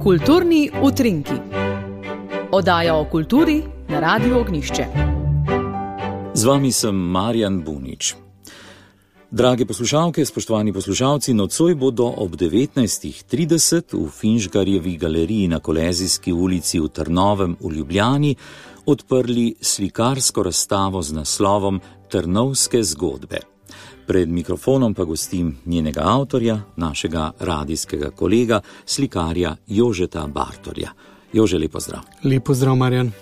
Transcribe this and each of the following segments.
Kulturni utrinki. Oddaja o kulturi na Radiu Ognjišče. Z vami sem Marjan Bunič. Drage poslušalke, spoštovani poslušalci, nocoj bodo ob 19:30 v Finžgarjevi galeriji na Kolezijski ulici v Trnovem v Ljubljani odprli slikarsko razstavo z naslovom Trnovske zgodbe. Pred mikrofonom pa gostim njenega avtorja, našega radijskega kolega, slikarja Jožeta Bartolja. Jože, lep pozdrav. Lep pozdrav, Marjan.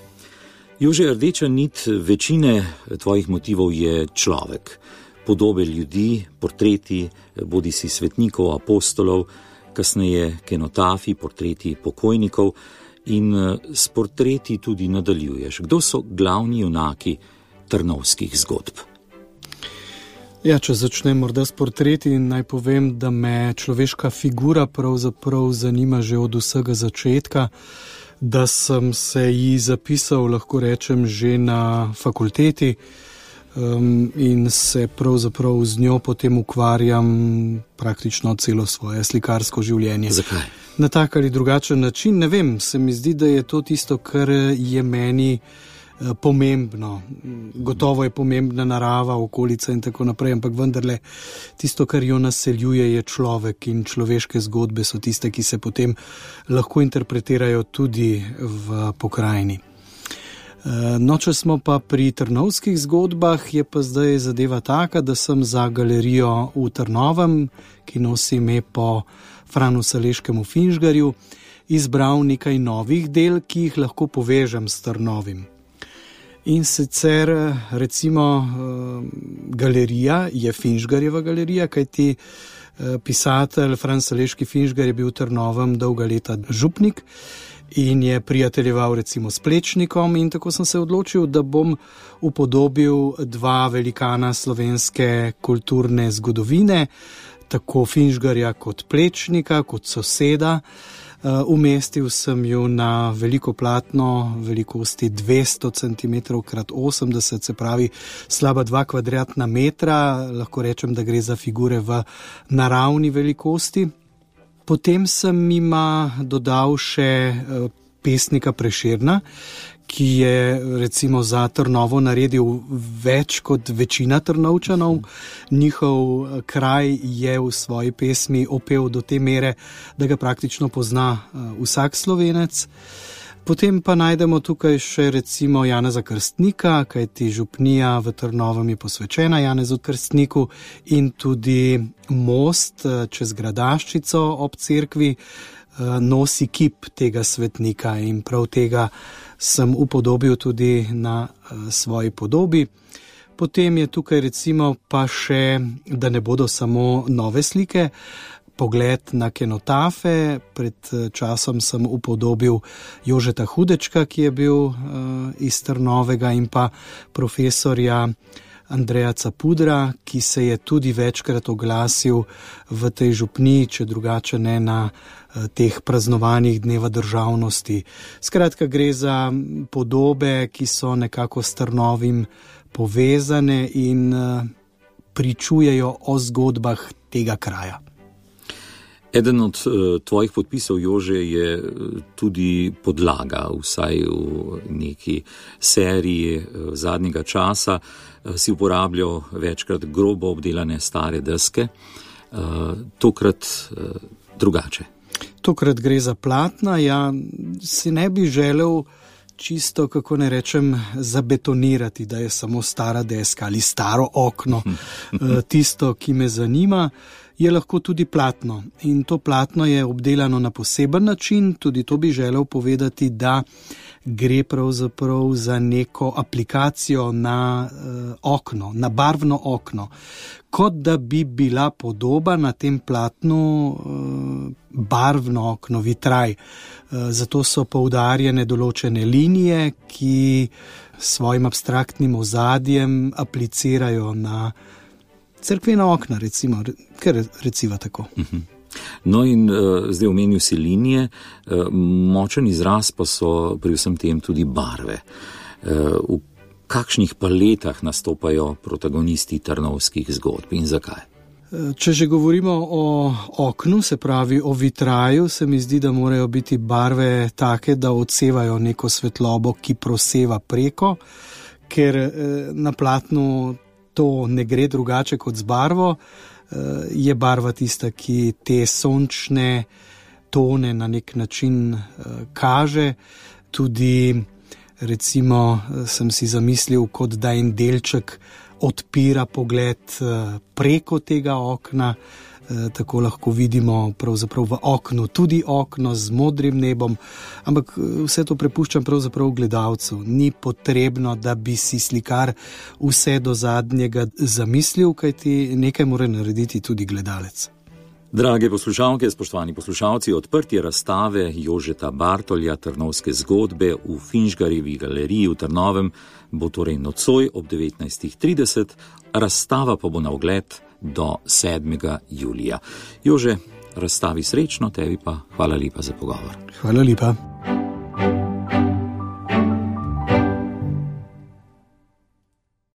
Jože, rdeča nit večine tvojih motivov je človek. Podobe ljudi, portreti, bodisi svetnikov, apostolov, kasneje kenotafi, portreti pokojnikov in s portreti tudi nadaljuješ. Kdo so glavni junaki trnovskih zgodb? Ja, če začnem morda s portreti, naj povem, da me človeška figura pravzaprav zanima že od vsega začetka, da sem se ji zapisal, lahko rečem, že na fakulteti in se pravzaprav z njo potem ukvarjam praktično celo svoje slikarsko življenje. Zakaj? Na tak ali drugačen način, ne vem, se mi zdi, da je to tisto, kar je meni pomembno. Gotovo je pomembna narava, okolica in tako naprej, ampak vendarle tisto, kar jo naseljuje, je človek in človeške zgodbe so tiste, ki se potem lahko interpretirajo tudi v pokrajini. No, če smo pa pri trnovskih zgodbah, je pa zdaj zadeva taka, da sem za galerijo v Trnovem, ki nosi ime po Franu Saleškemu Finžgarju, izbral nekaj novih del, ki jih lahko povežem s Trnovim. In sicer recimo galerija je Finžgarjeva galerija, kajti pisatelj Fran Saleški Finžgar je bil v Trnovem dolga leta župnik in je prijateljeval recimo s Plečnikom in tako sem se odločil, da bom upodobil dva velikana slovenske kulturne zgodovine, tako Finžgarja kot Plečnika, kot soseda. Umestil sem jo na veliko platno velikosti 200 cm x 80, se pravi slaba 2 kvadratna metra, lahko rečem, da gre za figure v naravni velikosti. Potem sem jima dodal še pesnika Prešerna, ki je recimo za Trnovo naredil več kot večina Trnovčanov. Njihov kraj je v svoji pesmi opel do te mere, da ga praktično pozna vsak Slovenec. Potem pa najdemo tukaj še recimo Janeza Krstnika, kajti župnija v Trnovem je posvečena Janezu Krstniku in tudi most čez Gradaščico ob cerkvi nosi kip tega svetnika in prav tega sem upodobil tudi na svoji podobi. Potem je tukaj recimo pa še, da ne bodo samo nove slike, pogled na kenotafe. Pred časom sem upodobil Jožeta Hudečka, ki je bil iz Trnovega, in pa profesorja Andreja Capudra, ki se je tudi večkrat oglasil v tej župniji, če drugače ne na teh praznovanjih Dneva državnosti. Skratka, gre za podobe, ki so nekako s Trnovim povezane in pričujejo o zgodbah tega kraja. Eden od tvojih podpisov, Jože, je tudi podlaga, vsaj v neki seriji zadnjega časa. Si uporabljal večkrat grobo obdelane stare deske, tokrat drugače. Tokrat gre za platna, ja, si ne bi želel čisto, kako ne rečem, zabetonirati, da je samo stara deska ali staro okno tisto, ki me zanima. Je lahko tudi platno in to platno je obdelano na poseben način, tudi to bi želel povedati, da gre pravzaprav za neko aplikacijo na okno, na barvno okno, kot da bi bila podoba na tem platnu barvno okno, vitraj. Zato so poudarjene določene linije, ki svojim abstraktnim ozadjem aplicirajo na cerkvena okna, recimo, ker reciva tako. No in zdaj omenil si linije, močen izraz pa so pri vsem tem tudi barve. V kakšnih paletah nastopajo protagonisti trnovskih zgodb in zakaj? Če že govorimo o oknu, se pravi o vitraju, se mi zdi, da morajo biti barve take, da odsevajo neko svetlobo, ki proseva preko, ker na platnu to ne gre drugače kot z barvo. Je barva tista, ki te sončne tone na nek način kaže. Tudi, recimo, sem si zamislil, kot da en delček odpira pogled preko tega okna, tako lahko vidimo pravzaprav v oknu tudi okno z modrim nebom, ampak vse to prepuščam pravzaprav gledalcu. Ni potrebno, da bi si slikar vse do zadnjega zamislil, kajti nekaj mora narediti tudi gledalec. Drage poslušalke, spoštovani poslušalci, odprtje razstave Jožeta Bartolja Trnovske zgodbe v Finžgarjevi galeriji v Trnovem bo torej nocoj ob 19.30, razstava pa bo na ogled do 7. julija. Jože, razstavi srečno, tebi pa hvala lepa za pogovor. Hvala lepa.